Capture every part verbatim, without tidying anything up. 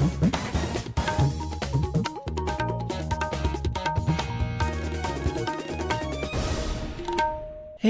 Hei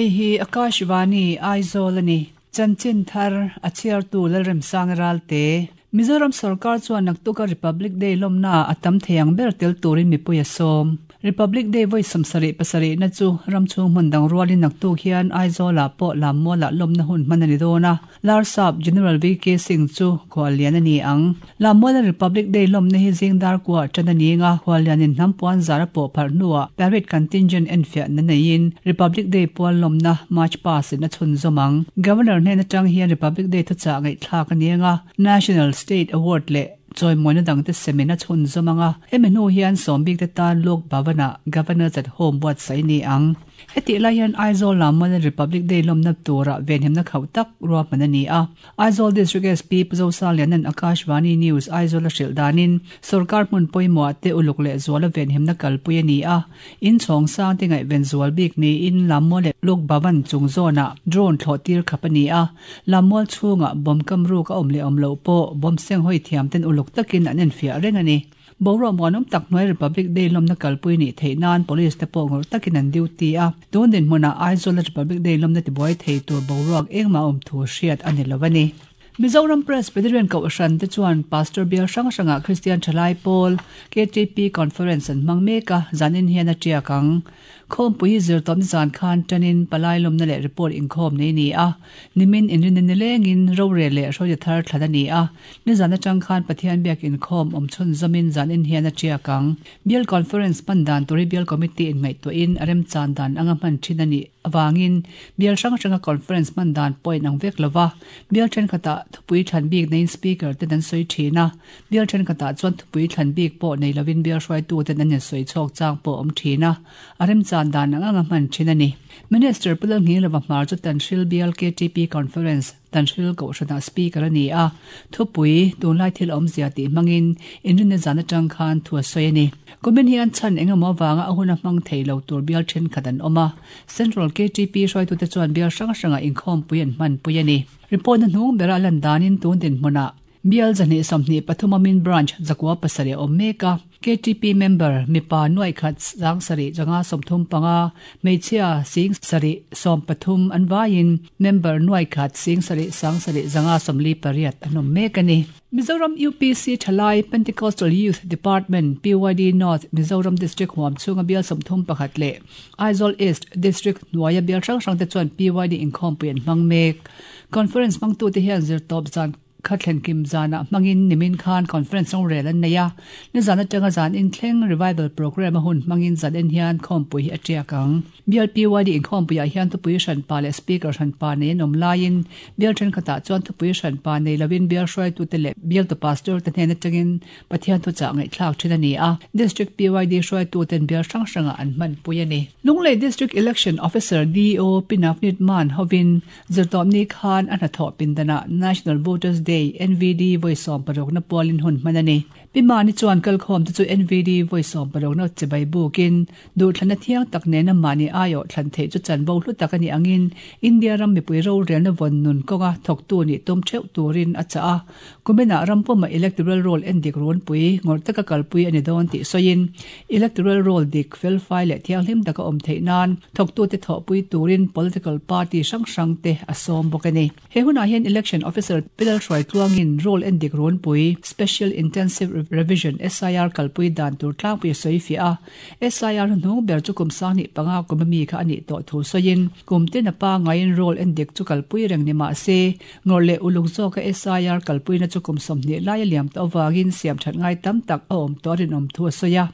hi Akashvani Aizawl ani chanchin thar a chhiar tu Lalremsang Ralte Mizoram Sarkar chuan naktuka Republic Day lawmna a tam theiang ber tel turin mipui a sawm. Republic Day voi samsari pasari na chu ramchhung hmun dang rualin naktuk hian Aizawla pawh Lammuala lawmna hun hman ani dawn a. Larsap General V K Singh chu khuallian ani ang. Lammuala Republic Day lawmna hi zingdar kuah tan ani nga khuallianin hnampuan zara pawh phar hnuah parade contingent enfiah na neiin Republic Day pual lawmna March past in a chhun zawmang. Governor hnen atang hian Republic Day thuchah ngaihthlak ani anga National State Award le choi moina dang te semina chhun zawmanga hemi hnu hian sawmbik te tan Lok Bhavana Governors at Home buat sai ni ang. Heti lai hian Aizawl Lammuala Republic Day lawmna tura venhimna khauh tak ruahman ani a. Aizawl District S P Puzosa lianan Akashvani News Aizawl a hrilh danin sarkar hmun pawimawh te uluk leh zuala venhimna kalpui ani a. In chhawng sang te ngaih ven zual bik niin Lammuala Lok Bhavan chung zawna drone thlawh tir khap ani a. Lammual chhungah bawm kam ruk a awm leh awm loh pawh bawm seng hawi thiam ten uluk takin an enfiah reng ani. Bawra muanawm tak hnuai Republic Day lawmna kalpui ni theih nan police te pawh ngawrh takin an duty a. Tun dinhmunah Aizawl Republic Day lawmna tibuai thei tur boruak engmah awm thu hriat ani lo ani. Mizoram Presbyterian Kohhran te chuan Pastor Bial hrang hrangah Christian Thalai Pawl K T P Conference an hmang mek a, zanin hian a tiak ang. Khawmpui hi zirtawm zan khan tanin palai lawmna leh report inkhawm nei ni a. Nimin inrin ni lengin rore leh hruai thar thlan ani a. Ni zan atang khan Pathian biak inkhawm awm chhun zamin zanin hian a tiak ang. Bial Conference hman dan turi Bial Committee in ngaihtuahin a rem chan dan anga hman thin ani awangin Bial hrang hranga conference hman dan point ang vek lova. Bial thenkhatah thupui thlan bik nein speaker te an sawi thin a. Bial thenkhatah chuan thupui thlan bik pawh nei lovin bial hruaitu ten an sawi chhawk chang pawh awm thin a. A rem chan dan anga hman thin ani. Minister Pulal Ngilova hmar chu Tanhril Bial K T P Conference Tanhril Kohhrana speaker ani a. Thupui tunlai thil awmzia tih hmangin inrinna zan atang khan thu a sawi ani. Kumin hian chhan engemaw wanga a hun a hmang thei lo tur bial thenkhat an awm a. Central K T P hruaitu te chuan bial hrang hranga inkhawmpui an hman pui ani. Report na hnung bera lan danin tun dinhmunah Bial zahnih sawmhnih pathum amin branch zakua pasarih awm mek a. K T P member mipa nuai khat sang sarih zanga sawmthum panga hmeichhia sing sarih sawm pathum an vaiin member nuai khat sing sarih sang sarih zanga sawmli pariat an awm mek ani. Mizoram U P C Thalai Pentecostal Youth Department P Y D North Mizoram District huam chhunga bial sawmthum pakhat leh Aizawl East District hnuaia bial hrang hrang te chuan P Y D inkhawmpui an hmang mek. Conference hmangtu te hian zirtawp zan khathlen kim zana hmangin nimin khan conference rong rel an nei a. Ni zan atanga zan in thleng revival program a hun hmangin zan en hian khawmpui hi a tiak ang. Bial P Y D inkhawmpui ah hian thupui hran pa leh speaker hran pa nei an awm laiin bial thenkhatah chuan thupui hran pa nei lovin bial hruaitu te leh bial tu pastor te hnen atangin Pathian thuchah ngaihthlak thin ani a. District P Y D hruaitu ten bial hrang hrangah an hman pui ani. Lunglei District Election Officer D O Pinafnit Man hovin zirtawmni khan a hnathawh pindana National Voters Day N V D voi sawm paruk na pualin hun hman ani. Pimani chuan kalkhawm te chu N V D voi sawm paruk na chibai bukin duhthlan a thiang tak nena mani aio thlan thei chu chanvo hlu tak ani angin India ram mipui ro relna vawn nun kawnga thawktu ni tum theuh turin a cha a. Kumina ram pawma electoral roll en dik rawn pui ngawr taka kalpui ani dawn tih sawiin electoral roll dik fel fai leh thianghlim taka awm theih nan thawktu te thawhpui turin political party hrang hrang te a sawm bawk ani. He hunah hian election officer Pilal Hruai tluangin roll en dik rawn pui Special Intensive Revision S I R kalpui dan tur tlangpui sawi fi a. S I R hnung ber chu kum sang ni panga kum mi kha ani to thu sawiin kum tin a pa ngaiin roll en dik chu kalpui reng ni ma se ngawr leh uluk zawk a S I R kalpui na chu kum sawmhnih lai a liam ta awangin siam that ngai tam tak a awm tawh rinawm thu a sawi a.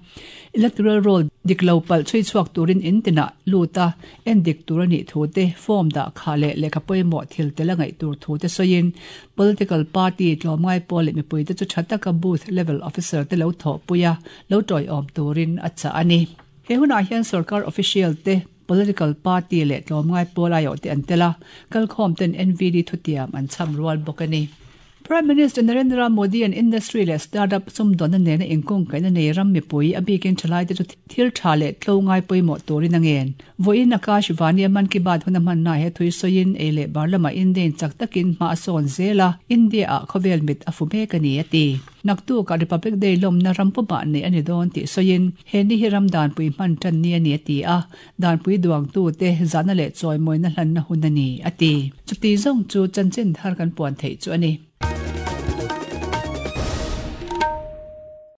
Electoral roll dik lo pal chui chhuak turin in tina luta en dik tur ani thu te form da kha leh lehkha pawimawh thil te la ngaih tur thu te sawiin political party tlawmngai pawl leh mipui te chu tha taka booth level officer te lo thawh pui a lo tawi awm turin a cha ani. He hunah hian sarkar official te political party leh tlawmngai pawl aiawh te an tel a kalkhawm ten N V D thutiam an cham rual bawk ani. Prime Minister Narendra Modi an industry leh startup sumdawnna nena inkungkaihna nei ram mipui a bikin thalai te chu thil tha leh tlo ngai pawimawh turin a ngen. Vawiin Akashvani a Mann Ki Baat hun a hmanna he thui sawiin ei leh bar lama Indian chak takin hma a sawn zel a, India ah khawvel mit a fu mek a ni a ti. Naktuk ah Republic Day lawmna ram pumah neih a ni dawn tih sawiin he ni hi ram danpui hman tan ni a ni a ti a, danpui duangtu te zahna leh chawimawina hlanna hun a ni a ti. Chuti zawng chu chanchin thar kan puan theih chu a ni.